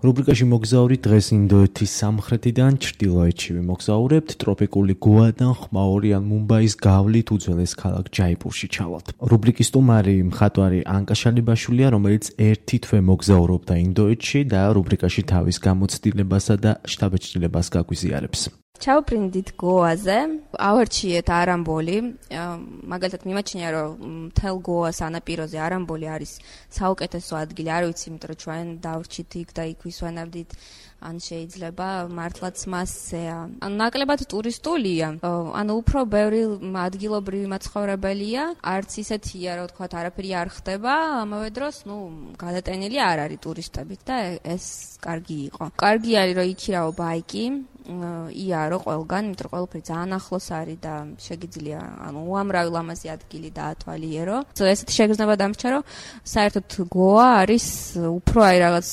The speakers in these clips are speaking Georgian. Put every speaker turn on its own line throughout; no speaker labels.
რუბრიკაში მოგზაური დღეს ინდოეთის სამხრეთიდან ჩრდილოეთში ვიმოგზაურებთ, ტროპიკული გოადან ხმაურიან მუმბაის გავლით უძველეს ქალაქ ჯაიპურში ჩავალთ. რუბრიკის სტუმარი მხატვარი ანკა შალიბაშვილია, რომელიც ერთი თვე მოგზაურობდა ინდოეთში და რუბრიკაში თავის გამოცდილებასა და შთაბეჭდილებას გაგვიზიარებს.
ჩავფრინდით გოაზე, ავარჩიეთ არამბოლი, მაგალითად მიმაჩნია, რომ მთელ გოას ანაპიროზე არამბოლი არის საუკეთესო ადგილი, არ ვიცი, იმიტომ რომ ჩვენ დავრჩით იქ და იქ ვისვენებდით, ან შეიძლება მართლაც მასზეა. ნაკლებად ტურისტულია, უფრო ბევრი ადგილობრივი მაცხოვრებელია, არც ისეთია, რომ თქვათ, არაფერი არ ხდება, ამავე დროს, გადატენილი არ არის ტურისტებით და ეს კარგი იყო. კარგი არის, რომ იქირავო ბაიკი, იარო ყველგან, იმიტომ რომ ყველაფერი ძალიან ახლოს არის და შეგიძლია, უამრავი ლამაზი ადგილი დაათვალიერო. ესეთი შეგრძნება დამრჩა, რომ საერთოდ გოა არის უფრო რაღაც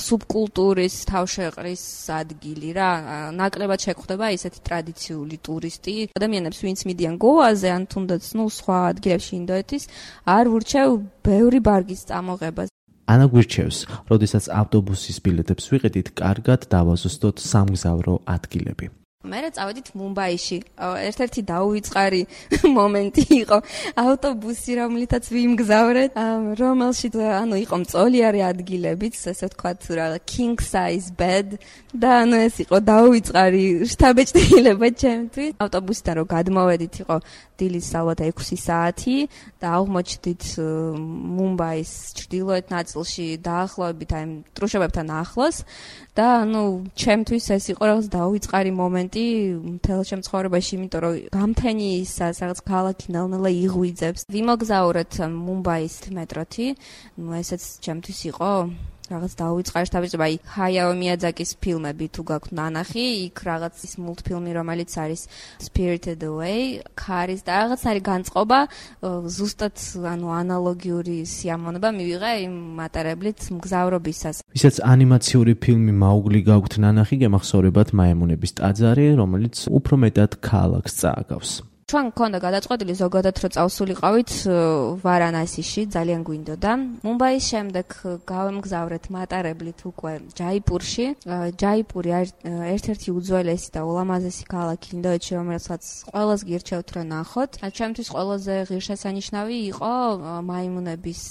სუბკულტურის თავშეყრის ადგილი რა. ნაკლებად შეგვხვდება ისეთი ტრადიციული ტურისტი. ადამიანებს, ვინც მიდიან გოაზე, ან თუნდაც სხვა ადგილებში ინდოეთის, არ ურჩევ ბევრი ბარგის წამოღებას.
ანა გვირჩევს, როდესაც ავტობუსის ბილეთებს ვიყიდით, კარგად დავაზუსტოთ სამგზავრო ადგილები.
მე წავედით მუმბაიში. ერთ-ერთი დაუვიწყარი მომენტი იყო ავტობუსი, რომლითაც ვიმგზავრეთ, რომელშიც იყო მწოლიარე ადგილებიც, ესე ვთქვათ, king size bed და ეს იყო დაუვიწყარი შთაბეჭდილება ჩემთვის. ავტობუსიდან რომ გადმოვედით, იყო დილის ალბათ 6 საათი და აღმოჩნდით მუმბაის ჩრდილოეთ ნაწილში დაახლოებით აი ტრუშებებთან ახლოს და ჩემთვის ეს იყო რაღაც დაუვიწყარი მომენტი მთელ შემცხოვრებაში, იმიტომ რომ გამთენი ისას რაღაც ქალაქი ნელ-ნელა იღვიძებს. ვიმოგზაურეთ მუმბაის მეტროთი, ესეც ჩემთვის იყო რაღაც დაუვიწყარი შთაბეჭდილება. აი ჰაიაო მიაძაკის ფილმები თუ გაქვთ ნანახი, იქ რაღაც ის მულტფილმი, რომელიც არის Spirited Away, ქარის და რაღაც არის განწყობა, ზუსტად ანალოგიური სიამოვნება მივიღე იმ მატარებლით მგზავრობისას.
ვისაც ანიმაციური ფილმი მაუგლი გაქვთ ნანახი, გემახსოვრებათ მაემუნების ტაძარი, რომელიც უფრო მეტად ქალაქს წააგავს.
ჩვენ გქონდა გადაწყვეტილი ზოგადად რომ წავსულიყავით ვარანასიში, ძალიან გვინდოდა. მუმბაის შემდეგ გავემგზავრეთ მატარებლით უკვე ჯაიპურში. ჯაიპური ერთ-ერთი უძველესი და ულამაზესი ქალაქი ინდოეთში, რომელსაც ყველას გირჩევთ რომ ნახოთ. ჩემთვის ყველაზე ღირსშესანიშნავი იყო მაიმუნების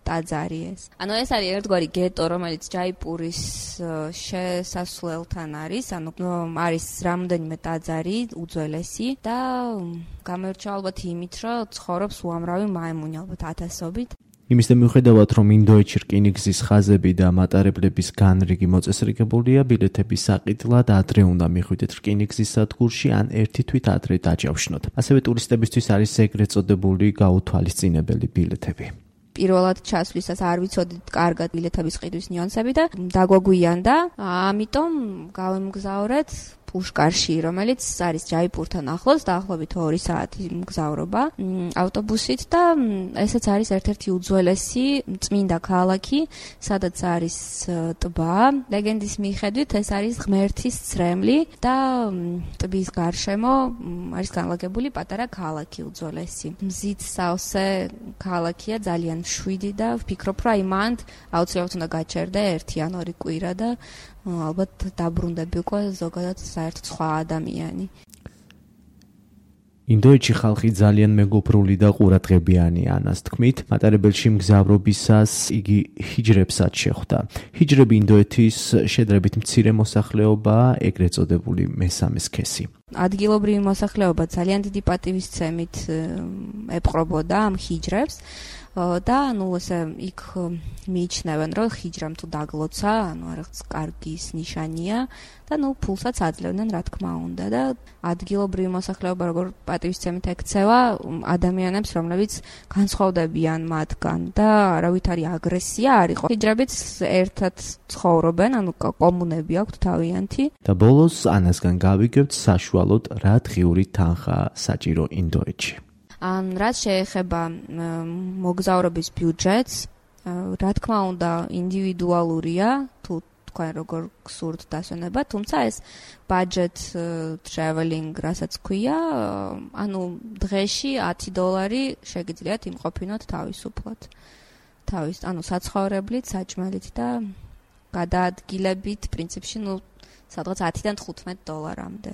ტაძარი ეს. ეს არის ერთგვარი გეტო, რომელიც ჯაიპურის შესასვლელთან არის, არის რამდენიმე ტაძარი უძველესი და გამერჩა ალბათ იმით, რომ ცხოვრობს უამრავი მაიმუნი, ალბათ ათასობით.
იმის და მიუხედავად, რომ ინდოეთში რკინიგზის ხაზები და მატარებლების განრიგი მოწესრიგებულია, ბილეთების საყიდლად ადრე უნდა მიხვიდეთ რკინიგზის სადგურში ან ერთი თვით ადრე დაჯავშნოთ. ასევე ტურისტებისთვის არის ეგრეთ წოდებული გაუთვალისწინებელი ბილეთები.
პირველად ჩასვლისას არ ვიცოდით კარგად ბილეთების ყიდვის ნიუანსები და დაგვაგვიანდა, ამიტომ გავემგზავრეთ პუშკარში, რომელიც არის ჯაიპურთან ახლოს, დაახლოებით 2 საათი მგზავრობა ავტობუსით და ესეც არის ერთ-ერთი უძველესი წმინდა ქალაქი, სადაც არის ტბა. ლეგენდის მიხედვით ეს არის ღმერთის ცრემლი და ტბის გარშემო არის განლაგებული პატარა ქალაქი უძველესი. მზით სავსე ქალაქია, ძალიან მშვიდი და ვფიქრობ, რომ მანდ აუცილებლად უნდა გაჩერდე 1 ან 2 კვირა და ალბათ დაბრუნდები უკვე ზოგადად საერთოდ სხვა ადამიანი.
ინდოეთში ხალხი ძალიან მეგობრული და ყურადღებიანი ანას თქმით, მატარებელში მგზავრობისას იგი ჰიჯრებსაც შეხვდა. ჰიჯრები ინდოეთის შედარებით მცირე მოსახლეობაა, ეგრეთ წოდებული მესამე სქესი.
ადგილობრივი მოსახლეობა ძალიან დიდი პატივისცემით ეპყრობოდა ამ ჰიჯრებს. და ესე იქ მიიჩნევენ, რომ ჰიჯრამ თუ დაგლოცა, რაღაც კარგის ნიშანია და ფულსაც აძლევდნენ, რა თქმა უნდა და ადგილობრივი მოსახლეობა როგორ პატივისცემით ექცევა ადამიანებს, რომლებიც განსხვავდებიან მათგან და არავითარი აგრესია არ იყო. ჰიჯრებიც ერთად ცხოვრობენ, კომუნები აქვთ თავიანთი.
და ბოლოს ანასგან გავიგებთ საშუალოდ რა დღიური თანხაა საჭირო ინდოეთში.
რაც შეეხება მოგზაურობის ბიუჯეტს, რა თქმა უნდა, ინდივიდუალურია, თუ თქვენ როგორ გსურთ დასვენება, თუმცა ეს budget traveling, რასაც ქვია, დღეში $10 შეგიძლიათ იმყოფინოთ თავისუფლად. საცხოვრებლით, საჭმელით და გადაადგილებით პრინციპში, სადღაც $10-დან $15 დოლარამდე.